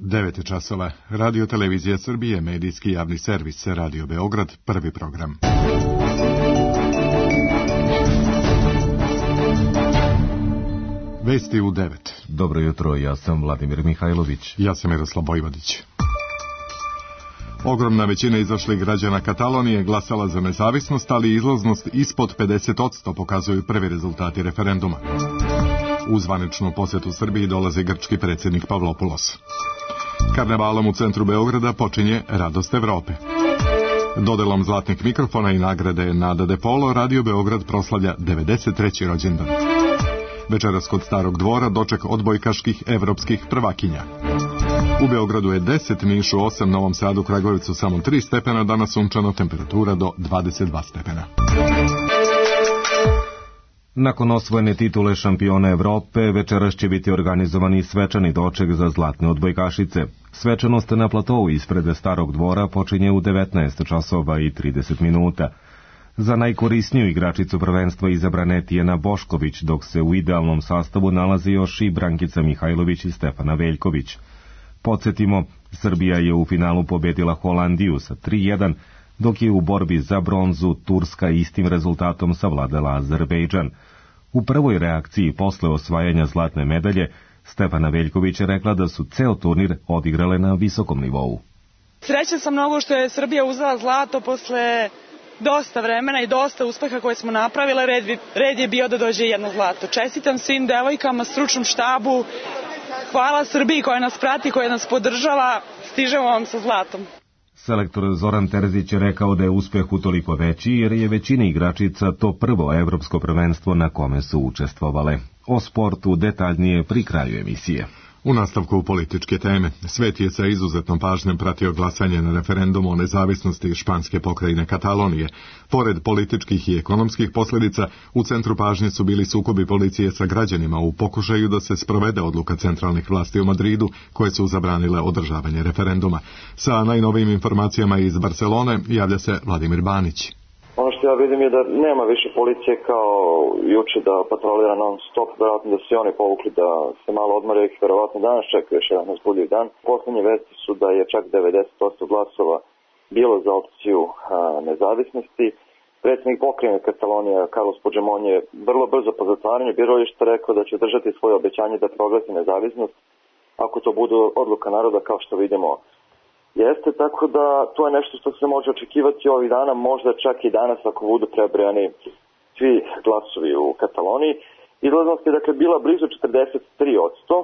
9 časova. Radio Televizija Srbije, medijski javni servis, Radio Beograd, prvi program. Vesti u 9. Dobro jutro, ja sam Vladimir Mihajlović. Ja sam Miroslav Bojvodić. Ogromna većina izašlih građana Katalonije glasala za nezavisnost, ali izlaznost ispod 50% pokazuju prvi rezultati referenduma. U zvaničnu posjetu Srbiji dolazi grčki predsjednik Pavlopoulos. Karnevalom u centru Beograda počinje Radost Evrope. Dodelom zlatnih mikrofona i nagrade Nada de Polo, Radio Beograd proslavlja 93. rođendan. Večeras kod Starog dvora doček odbojkaških evropskih prvakinja. U Beogradu je 10, Nišu 8, Novom Sadu, Kragujevcu samo 3 stepena, danas sunčano, temperatura do 22 stepena. Nakon osvojene titule šampiona Evrope, večeras će biti organizovani svečani doček za zlatne odbojkašice. Svečanost na platovu ispred Starog dvora počinje u 19 časova i 30 minuta. Za najkorisniju igračicu prvenstva izabrana je Tijana Bošković, dok se u idealnom sastavu nalazi još i Brankica Mihajlović i Stefana Veljković. Podsjetimo, Srbija je u finalu pobedila Holandiju sa 3:1, dok je u borbi za bronzu Turska istim rezultatom savladala Azerbejdžan. U prvoj reakciji posle osvajanja zlatne medalje, Stefana Veljković je rekla da su ceo turnir odigrale na visokom nivou. Srećna sam mnogo što je Srbija uzela zlato posle dosta vremena i dosta uspeha koje smo napravile. Red je bio da dođe jedno zlato. Čestitam svim devojkama, stručnom štabu. Hvala Srbiji koja nas prati, koja nas podržava. Stižemo vam sa zlatom. Selektor Zoran Terzić je rekao da je uspeh utoliko veći jer je većina igračica to prvo evropsko prvenstvo na kome su učestvovale. O sportu detaljnije pri kraju emisije. U nastavku političke teme, svet je sa izuzetnom pažnjom pratio glasanje na referendumu o nezavisnosti španske pokrajine Katalonije. Pored političkih i ekonomskih posljedica, u centru pažnje su bili sukobi policije sa građanima u pokušaju da se sprovede odluka centralnih vlasti u Madridu, koje su zabranile održavanje referenduma. Sa najnovijim informacijama iz Barcelone javlja se Vladimir Banić. Ono što ja vidim je da nema više policije kao juče da patrolira non stop, vjerojatno da su oni povukli da se malo odmore, ih vjerojatno danas čeka još jedan uzbudljiv dan. Poslednje vesti su da je čak 90% glasova bilo za opciju nezavisnosti. Predsjednik pokrajine Katalonija Carlos Puigdemont je vrlo brzo po zatvaranju birališta rekao da će držati svoje obećanje da proglasi nezavisnost ako to bude odluka naroda, kao što vidimo. Jeste, tako da to je nešto što se može očekivati ovih dana, možda čak i danas ako budu prebrojani svi glasovi u Kataloniji. Izlaznost je dakle bila blizu 43%.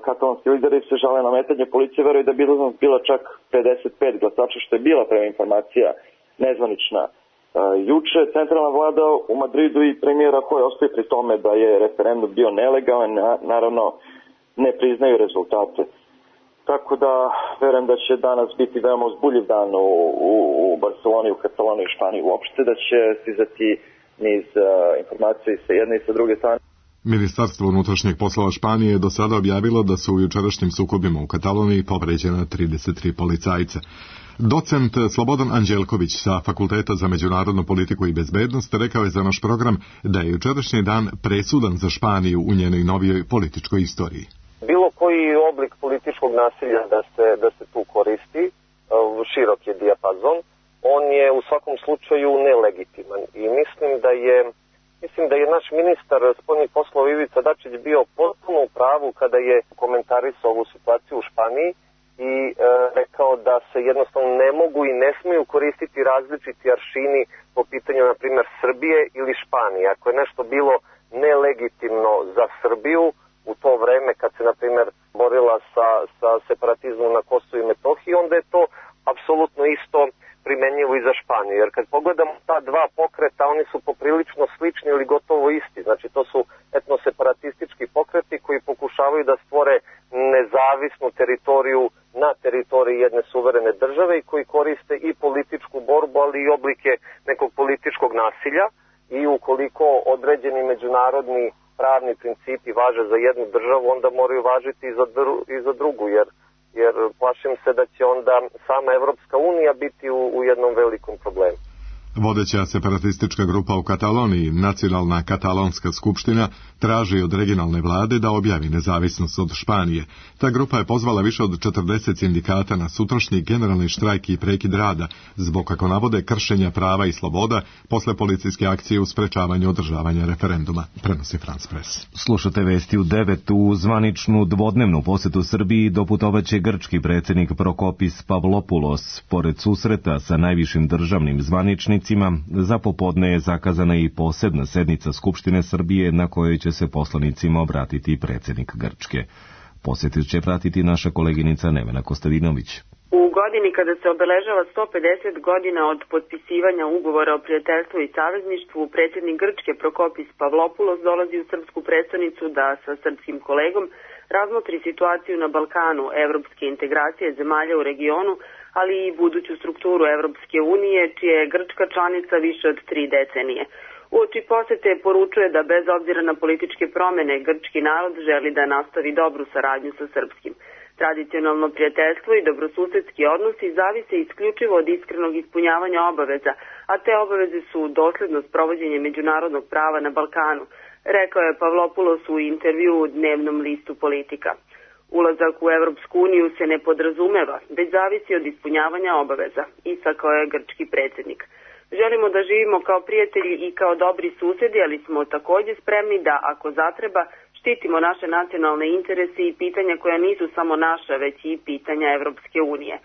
Katalonski lideri se žale na metanje, policije veruje da bi izlaznost bila čak 55 glasača, što je bila prema informacija nezvanična. Juče centralna vlada u Madridu i premijer Rajoy ostaje pri tome da je referendum bio nelegalan, naravno ne priznaju rezultate. Tako da verujem da će danas biti veoma uzbudljiv dan u Barceloni, u Kataloniji i Španiji uopšte, da će stizati niz informacija i sa jedne i sa druge strane. Ministarstvo unutrašnjeg poslova Španije je do sada objavilo da su u jučerašnjim sukobima u Kataloniji povređena 33 policajca. Docent Slobodan Anđelković sa Fakulteta za međunarodnu politiku i bezbednost rekao je za naš program da je jučerašnji dan presudan za Španiju u njenoj novijoj političkoj istoriji. Bilo koji oblik političkog nasilja da se tu koristi, širok je dijapazon, on je u svakom slučaju nelegitiman i mislim da je naš ministar spoljnih poslova Ivica Dačić bio potpuno u pravu kada je komentarisao ovu situaciju u Španiji i rekao da se jednostavno ne mogu i ne smiju koristiti različiti aršini po pitanju, na primjer, Srbije ili Španije. Ako je nešto bilo nelegitimno za Srbiju u to vreme kad se, na primjer, borila sa separatizmom na Kosovu i Metohiji, onda je to apsolutno isto primenjivo i za Španiju. Jer kad pogledamo ta dva pokreta, oni su poprilično slični ili gotovo isti. Znači, to su etnoseparatistički pokreti koji pokušavaju da stvore nezavisnu teritoriju na teritoriji jedne suverene države i koji koriste i političku borbu, ali i oblike nekog političkog nasilja. I ukoliko određeni međunarodni pravni principi važe za jednu državu, onda moraju važiti i za drugu, jer plašim se da će onda sama Evropska unija biti u jednom velikom problemu. Vodeća separatistička grupa u Kataloniji, Nacionalna katalonska skupština, traži od regionalne vlade da objavi nezavisnost od Španije. Ta grupa je pozvala više od 40 sindikata na sutrašnji generalni štrajk i prekid rada zbog, kako navode, kršenja prava i sloboda posle policijske akcije u sprečavanju održavanja referenduma, prenosi France Press. Slušate vesti u 9. U zvaničnu dvodnevnu posetu Srbiji doputovaće grčki predsjednik Prokopis Pavlopoulos. Pored susreta sa najvišim državnim zvaničnicima, za popodne je zakazana i posebna sednica Skupštine Srbije na kojoj će se poslanicima obratiti predsjednik Grčke. Posjetu će pratiti naša koleginica Nevena Kostadinović. U godini kada se obeležava 150 godina od potpisivanja ugovora o prijateljstvu i savezništvu, predsjednik Grčke Prokopis Pavlopoulos dolazi u srpsku prestonicu da sa srpskim kolegom razmotri situaciju na Balkanu, evropske integracije zemalja u regionu, ali i buduću strukturu Evropske unije, čija je Grčka članica više od 3 decenije. Uoči posete poručuje da bez obzira na političke promjene, grčki narod želi da nastavi dobru saradnju sa srpskim. Tradicionalno prijateljstvo i dobrosusedski odnosi zavise isključivo od iskrenog ispunjavanja obaveza, a te obaveze su dosledno sprovođenje međunarodnog prava na Balkanu, rekao je Pavlopoulos u intervju u dnevnom listu Politika. Ulazak u Evropsku uniju se ne podrazumeva, već zavisi od ispunjavanja obaveza, istakao je grčki predsjednik. Želimo da živimo kao prijatelji i kao dobri susjedi, ali smo također spremni da, ako zatreba, štitimo naše nacionalne interese i pitanja koja nisu samo naša, već i pitanja Evropske unije.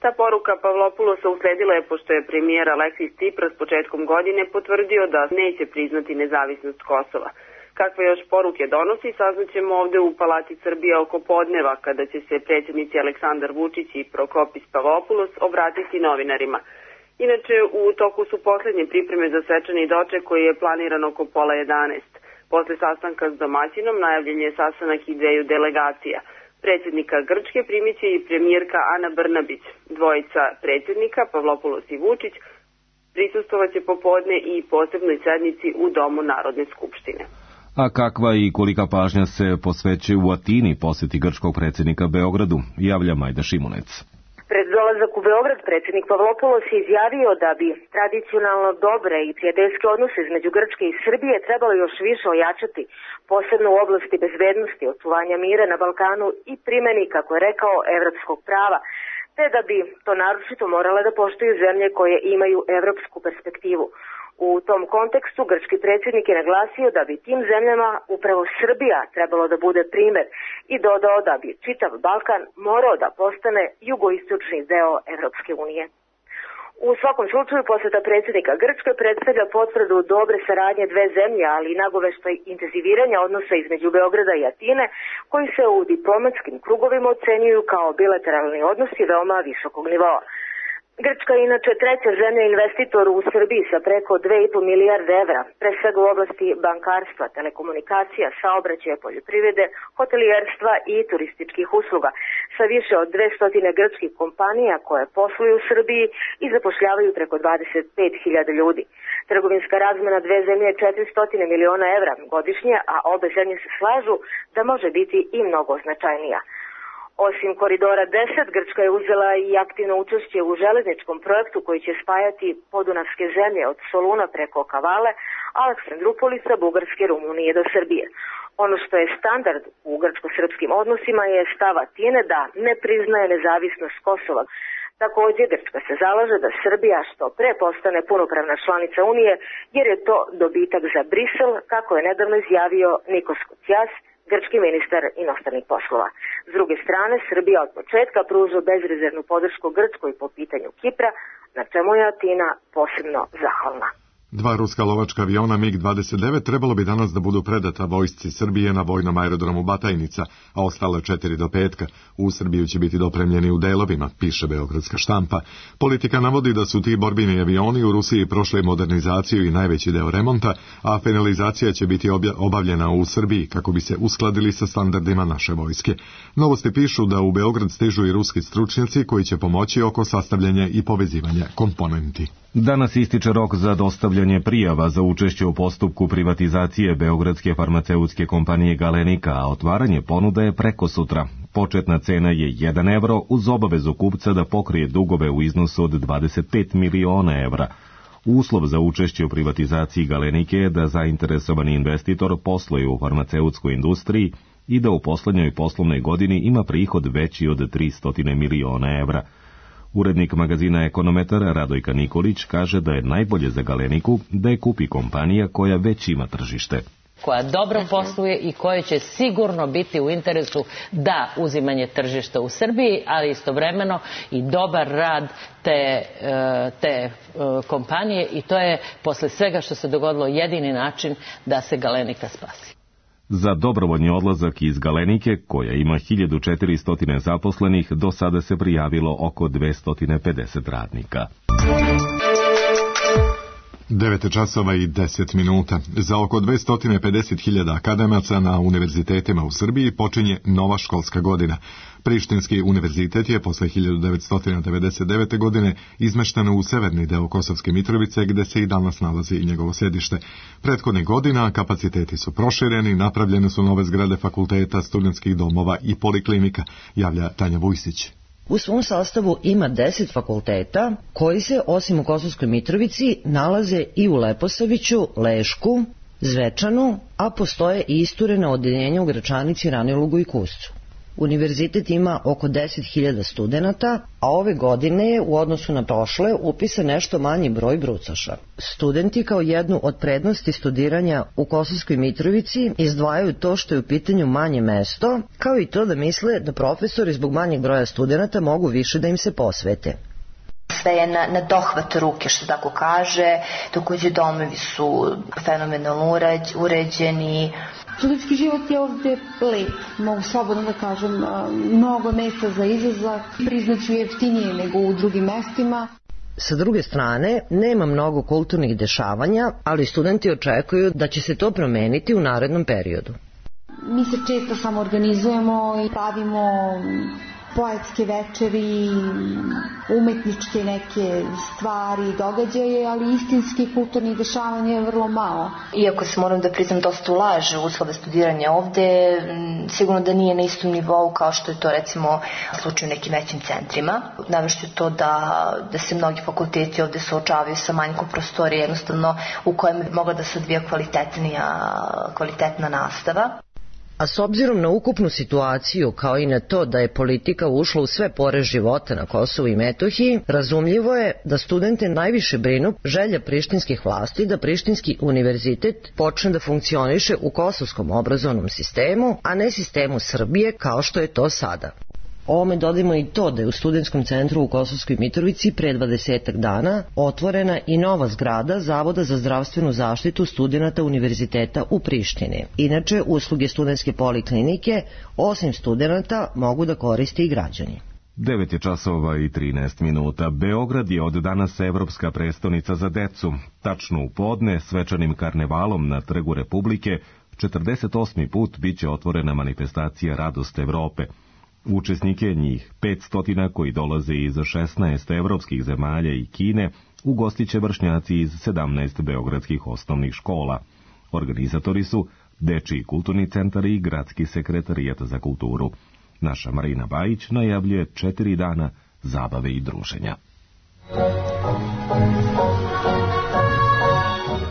Ta poruka Pavlopoulosa usledila je pošto je premijer Aleksis Tsipras početkom godine potvrdio da neće priznati nezavisnost Kosova. Kakve još poruke donosi, saznaćemo ovdje u Palati Srbije oko podneva, kada će se predsjednici Aleksandar Vučić i Prokopis Pavlopoulos obratiti novinarima. Inače, u toku su posljednje pripreme za svečani doček koji je planiran oko 10:30. Posle sastanka s domaćinom najavljen je sastanak i dveju delegacija. Predsjednika Grčke primit će i premijerka Ana Brnabić. Dvojica predsjednika, Pavlopoulos i Vučić, prisustvovat će popodne i posebnoj sednici u Domu Narodne skupštine. A kakva i kolika pažnja se posvećuje u Atini posjeti grčkog predsjednika Beogradu, javlja Majda Šimunec. Pred dolazak u Beograd predsjednik Pavlopoulos je izjavio da bi tradicionalno dobre i prijateljske odnose između Grčke i Srbije trebalo još više ojačati, posebno u oblasti bezbednosti, očuvanja mira na Balkanu i primjeni, kako je rekao, evropskog prava, te da bi to naročito morale da poštuju zemlje koje imaju evropsku perspektivu. U tom kontekstu grčki predsjednik je naglasio da bi tim zemljama upravo Srbija trebalo da bude primjer i dodao da bi čitav Balkan morao da postane jugoistočni deo Evropske unije. U svakom slučaju posjeta predsjednika Grčke predstavlja potvrdu dobre saradnje dve zemlje, ali i nagoveštaj intenziviranja odnosa između Beograda i Atine, koji se u diplomatskim krugovima ocenjuju kao bilateralni odnosi veoma visokog nivoa. Grčka je inače treća zemlja investitor u Srbiji sa preko 2,5 milijarde evra, pre svega u oblasti bankarstva, telekomunikacija, saobraćaja, poljoprivrede, hotelijerstva i turističkih usluga, sa više od 200 grčkih kompanija koje posluju u Srbiji i zapošljavaju preko 25.000 ljudi. Trgovinska razmena dve zemlje je 400 miliona evra godišnje, a obe zemlje se slažu da može biti i mnogo značajnija. Osim koridora 10, Grčka je uzela i aktivno učešće u železničkom projektu koji će spajati podunavske zemlje od Soluna preko Kavale, Aleksandrupolisa, Bugarske, Rumunije do Srbije. Ono što je standard u grčko-srpskim odnosima je stav Atine da ne priznaje nezavisnost Kosova. Također, Grčka se zalaže da Srbija što pre postane punopravna članica Unije, jer je to dobitak za Brisel, kako je nedavno izjavio Nikos Kotsias, grčki ministar inostranih poslova. S druge strane, Srbija od početka pruža bezrezervnu podršku Grčkoj po pitanju Kipra, na čemu je Atina posebno zahvalna. Dva ruska lovačka aviona MiG-29 trebalo bi danas da budu predata vojsci Srbije na vojnom aerodromu Batajnica, a ostale 4 do petka. U Srbiju će biti dopremljeni u delovima, piše beogradska štampa. Politika navodi da su ti borbeni avioni u Rusiji prošli modernizaciju i najveći deo remonta, a finalizacija će biti obavljena u Srbiji kako bi se uskladili sa standardima naše vojske. Novosti pišu da u Beograd stižu i ruski stručnjaci koji će pomoći oko sastavljanja i povezivanja komponenti. Danas ističe rok za dostavljanje prijava za učešće u postupku privatizacije beogradske farmaceutske kompanije Galenika, a otvaranje ponuda je preko sutra. Početna cena je 1 evro uz obavezu kupca da pokrije dugove u iznosu od 25 miliona evra. Uslov za učešće u privatizaciji Galenike je da zainteresovani investitor posluje u farmaceutskoj industriji i da u poslednjoj poslovnoj godini ima prihod veći od 300 miliona evra. Urednik magazina Ekonometar Radojka Nikolić kaže da je najbolje za Galeniku da je kupi kompanija koja već ima tržište, koja dobro posluje i koja će sigurno biti u interesu da uzimanje tržišta u Srbiji, ali istovremeno i dobar rad te kompanije, i to je posle svega što se dogodilo jedini način da se Galenika spasi. Za dobrovoljni odlazak iz Galenike, koja ima 1400 zaposlenih, do sada se prijavilo oko 250 radnika. 9 časova i 10 minuta. Za oko 250.000 akademaca na univerzitetima u Srbiji počinje nova školska godina. Prištinski univerzitet je posle 1999. godine izmešten u severni deo Kosovske Mitrovice, gde se i danas nalazi i njegovo sedište. Prethodnih godina kapaciteti su prošireni, napravljene su nove zgrade fakulteta, studentskih domova i poliklinika, javlja Tanja Vujsić. U svom sastavu ima 10 fakulteta koji se, osim u Kosovskoj Mitrovici, nalaze i u Leposaviću, Lešku, Zvečanu, a postoje i isturena odeljenja u Gračanici, Ranilugu i Kuscu. Univerzitet ima oko 10.000 studenata, a ove godine je u odnosu na prošle upisan nešto manji broj brucoša. Studenti kao jednu od prednosti studiranja u Kosovskoj Mitrovici izdvajaju to što je u pitanju manje mesto, kao i to da misle da profesori zbog manjeg broja studenata mogu više da im se posvete. Sve je na dohvat ruke, što tako kaže, takođe domovi su fenomenalno uređeni. Studentski život je ovde lep, mogu slobodno da kažem, mnogo mesta za izlazak, priznaću jeftinije nego u drugim mestima. Sa druge strane, nema mnogo kulturnih dešavanja, ali studenti očekuju da će se to promeniti u narednom periodu. Mi se često samo organizujemo i pravimo poetske večeri, umetničke neke stvari, događaje, ali istinski kulturnih dešavanja je vrlo malo. Iako se, moram da priznam, dosta ulaže u uslove studiranja ovde, sigurno da nije na istom nivou kao što je to recimo slučaj u nekim većim centrima. Navešću to da se mnogi fakulteti ovde suočavaju sa manjkom prostorije, jednostavno u kojem bi mogla da se odvija kvalitetna nastava. A s obzirom na ukupnu situaciju, kao i na to da je politika ušla u sve pore života na Kosovu i Metohiji, razumljivo je da studente najviše brinu želja prištinskih vlasti da Prištinski univerzitet počne da funkcioniše u kosovskom obrazovnom sistemu, a ne sistemu Srbije kao što je to sada. Ovome dodajmo i to da je u studentskom centru u Kosovskoj Mitrovici pre 20 dana otvorena i nova zgrada Zavoda za zdravstvenu zaštitu studenata univerziteta u Prištini. Inače, usluge studentske poliklinike, osim studenata, mogu da koriste i građani. 9 časova i 13 minuta. Beograd je od danas evropska prestonica za decu. Tačno u podne, svečanim karnevalom na Trgu Republike, 48. put biće otvorena manifestacija Radost Evrope. Učesnike, njih 500 koji dolaze iz 16 evropskih zemalja i Kine, ugostiće vršnjaci iz 17 beogradskih osnovnih škola. Organizatori su Dečiji kulturni centar i Gradski sekretarijat za kulturu. Naša Marina Bajić najavljuje 4 dana zabave i druženja.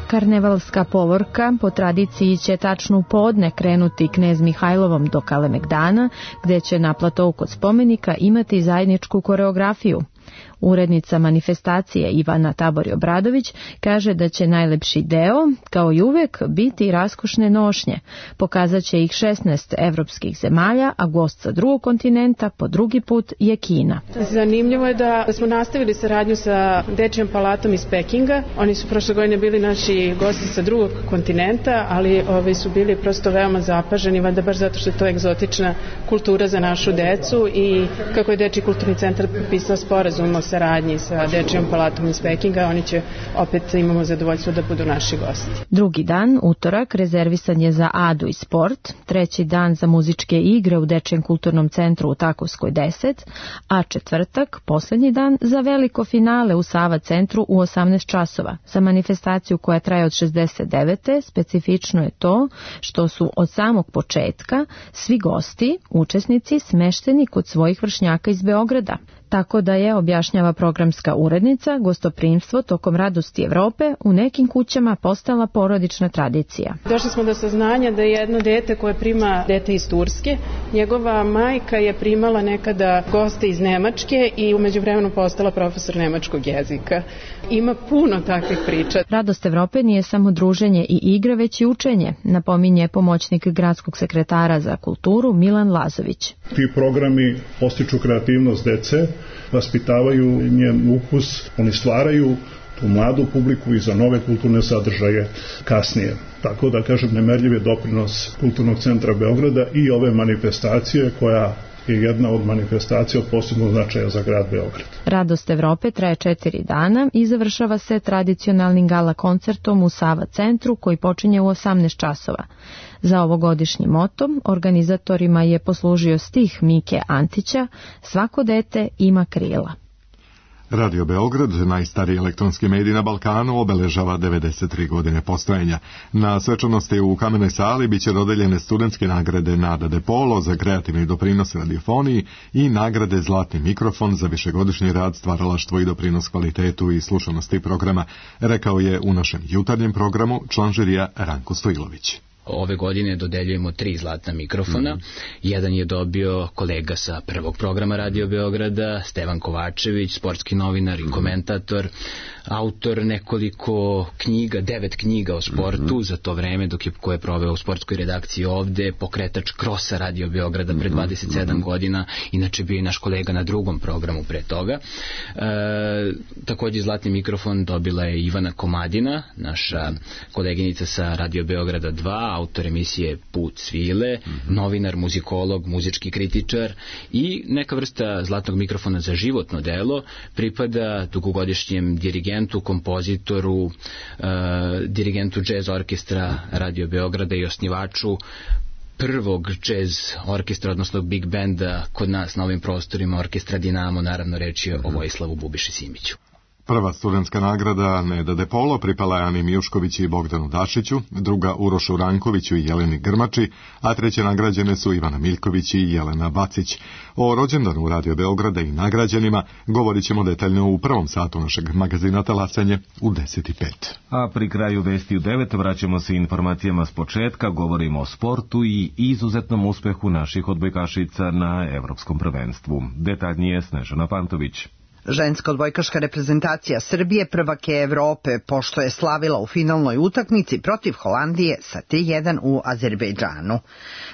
Karnevalska povorka po tradiciji će tačno u podne krenuti Knez Mihajlovom do Kalemegdana, gde će na platou kod spomenika imati zajedničku koreografiju. Urednica manifestacije Ivana Tabori-Obradović kaže da će najlepši deo, kao i uvek, biti raskošne nošnje. Pokazat će ih 16 evropskih zemalja, a gost sa drugog kontinenta po drugi put je Kina. Zanimljivo je da smo nastavili saradnju sa Dečijom palatom iz Pekinga. Oni su prošle godine bili naši gosti sa drugog kontinenta, ali su bili prosto veoma zapaženi, valjda baš zato što je to egzotična kultura za našu decu i kako je Dečiji kulturni centar potpisao sporazum o saradnji sa Dečijom palatom iz Pekinga, oni će opet, imamo zadovoljstvo da budu naši gosti. Drugi dan, utorak, rezervisan je za Adu i sport, treći dan za muzičke igre u Dečijem kulturnom centru u Takovskoj 10, a četvrtak, poslednji dan, za veliko finale u Sava centru u 18 časova. Za manifestaciju koja traje od 69. specifično je to što su od samog početka svi gosti, učesnici, smešteni kod svojih vršnjaka iz Beograda. tako da je, objašnjava programska urednica, gostoprimstvo tokom Radosti Evrope u nekim kućama postala porodična tradicija. Došli smo do saznanja da je jedno dete koje prima dete iz Turske, njegova majka je primala nekada goste iz Nemačke i umeđu vremenu postala profesor nemačkog jezika. Ima puno takvih priča. Radost Evrope nije samo druženje i igre, već i učenje, napominje pomoćnik gradskog sekretara za kulturu Milan Lazović. Ti programi postiču kreativnost dece, vaspitavaju njen ukus, oni stvaraju tu mladu publiku i za nove kulturne sadržaje kasnije. Tako da, kažem, nemerljiv je doprinos Kulturnog centra Beograda i ove manifestacije koja je jedna od manifestacija od posebnog značaja za grad Beograd. Radost Evrope traje 4 dana i završava se tradicionalnim gala koncertom u Sava centru koji počinje u 18 časova. Za ovogodišnji moto organizatorima je poslužio stih Mike Antića "Svako dete ima krila". Radio Beograd, najstariji elektronski medij na Balkanu, obeležava 93 godine postojanja. Na svečanosti u Kamenoj sali biće dodeljene studentske nagrade Nada De Polo za kreativni doprinos radiofoniji i nagrade Zlatni mikrofon za višegodišnji rad, stvaralaštvo i doprinos kvalitetu i slušanosti programa, rekao je u našem jutarnjem programu član žirija Ranko Stojilović. Ove godine dodeljujemo 3 zlatna mikrofona. Jedan je dobio kolega sa prvog programa Radio Beograda, Stevan Kovačević, sportski novinar i komentator, autor nekoliko knjiga, 9 knjiga o sportu za to vreme koje je proveo u sportskoj redakciji ovde, pokretač krosa Radio Beograda pre 27 godina, inače bio i naš kolega na drugom programu pre toga. Takođe zlatni mikrofon dobila je Ivana Komadina, naša koleginica sa Radio Beograda 2, autor emisije Put svile, novinar, muzikolog, muzički kritičar, i neka vrsta zlatnog mikrofona za životno delo pripada dugogodišnjem dirigentu, kompozitoru, dirigentu džez orkestra Radio Beograda i osnivaču prvog džez orkestra, odnosno big benda kod nas na ovim prostorima, orkestra Dinamo, naravno reč je o Vojislavu Bubiši Simiću. Prva studentska nagrada Neda De Polo pripala je Ani Mijušković i Bogdanu Dašiću, druga Urošu Rankoviću i Jeleni Grmači, a treće nagrađene su Ivana Miljković i Jelena Bacić. O rođendanu Radio Beograda i nagrađenima govorit ćemo detaljno u prvom satu našeg magazina Talasanje u 10:05. A pri kraju vesti u 9 vraćamo se informacijama s početka, govorimo o sportu i izuzetnom uspehu naših odbojkašica na Evropskom prvenstvu. Detaljnije Snežana Pantović. Ženska odbojkaška reprezentacija Srbije prvak je Evrope, pošto je slavila u finalnoj utakmici protiv Holandije sa 3:1 u Azerbejdžanu.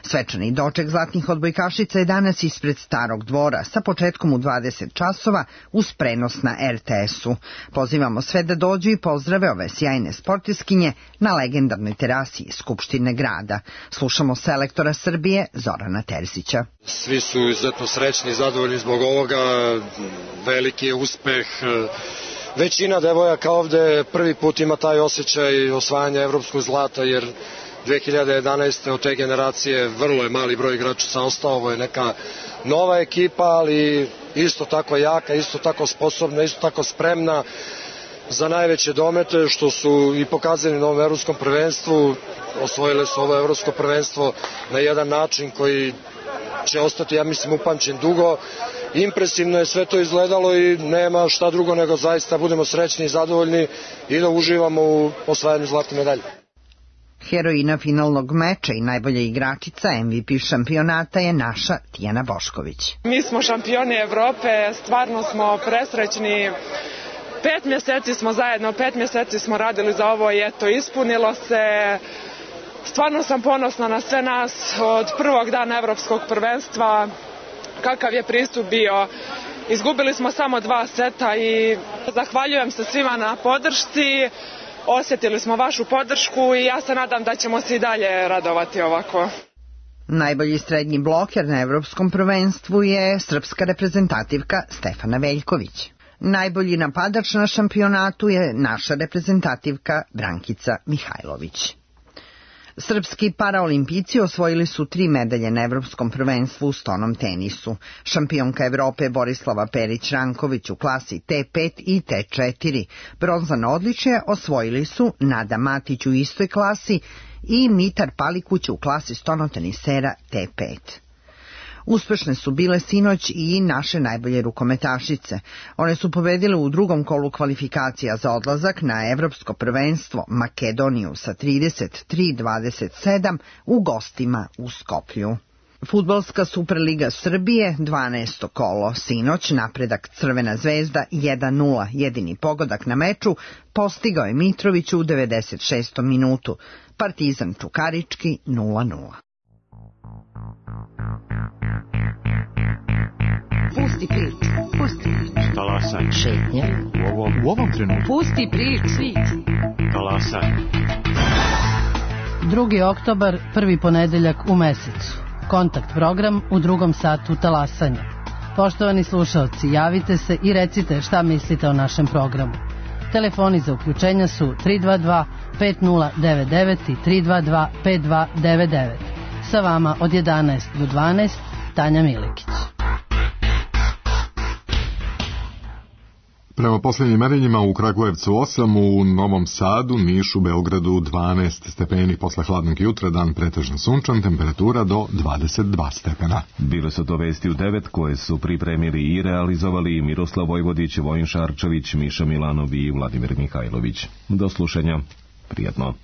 Svečani doček zlatnih odbojkašica je danas ispred Starog dvora sa početkom u 20 časova uz prenos na RTS-u. Pozivamo sve da dođu i pozdrave ove sjajne sportiskinje na legendarnoj terasi Skupštine grada. Slušamo selektora Srbije Zorana Terzića. Svi su izuzetno srećni i zadovoljni zbog ovoga, veliki je uspeh. Većina devojaka ovde prvi put ima taj osjećaj osvajanja evropskog zlata, jer 2011. od te generacije vrlo je mali broj igrača sam ostao. Ovo je neka nova ekipa, ali isto tako jaka, isto tako sposobna, isto tako spremna za najveće domete, što su i pokazali na ovom evropskom prvenstvu. Osvojile su ovo evropsko prvenstvo na jedan način koji će ostati, ja mislim, upamćen dugo. Impresivno je sve to izgledalo i nema šta drugo nego zaista budemo srećni i zadovoljni i da uživamo u osvajanju zlatne medalje. Heroina finalnog meča i najbolja igračica MVP šampionata je naša Tijana Bošković. Mi smo šampioni Evrope, stvarno smo presrećni. 5 mjeseci smo zajedno, 5 mjeseci smo radili za ovo i eto, ispunilo se. Stvarno sam ponosna na sve nas od prvog dana evropskog prvenstva, kakav je pristup bio. Izgubili smo samo 2 seta i zahvaljujem se svima na podršci. Osjetili smo vašu podršku i ja se nadam da ćemo se i dalje radovati ovako. Najbolji srednji bloker na evropskom prvenstvu je srpska reprezentativka Stefana Veljković. Najbolji napadač na šampionatu je naša reprezentativka Brankica Mihajlović. Srpski paraolimpijci osvojili su 3 medalje na evropskom prvenstvu u stonom tenisu. Šampionka Evrope Borislava Perić-Ranković u klasi T5 i T4. Bronzano odličje osvojili su Nada Matić u istoj klasi i Mitar Palikuć u klasi stonotenisera T5. Uspešne su bile sinoć i naše najbolje rukometašice. One su pobedile u drugom kolu kvalifikacija za odlazak na Evropsko prvenstvo Makedoniju sa 33-27 u gostima u Skoplju. Fudbalska Superliga Srbije, 12. kolo. Sinoć napredak Crvena zvezda 1-0. Jedini pogodak na meču postigao je Mitrović u 96. minutu. Partizan Čukarički 0-0. Pusti priču. Pusti priču. Talasaj. Šetnja. U ovom trenutku. Pusti priču. Svit. Talasaj. 2. oktobar, prvi ponedeljak u mesecu. Kontakt program u drugom satu talasanja. Poštovani slušalci, javite se i recite šta mislite o našem programu. Telefoni za uključenja su 322 5099 i 322 5299. Sa vama od 11 do 12, Tanja Milikić. Prema posljednjim merenjima u Kragujevcu 8, u Novom Sadu, Nišu, Beogradu 12 stepeni posle hladnog jutra, dan pretežno sunčan, temperatura do 22 stepena. Bile su to vesti u 9 koje su pripremili i realizovali Miroslav Vojvodić, Vojin Šarčević, Miša Milanov i Vladimir Mihajlović. Do slušanja. Prijatno.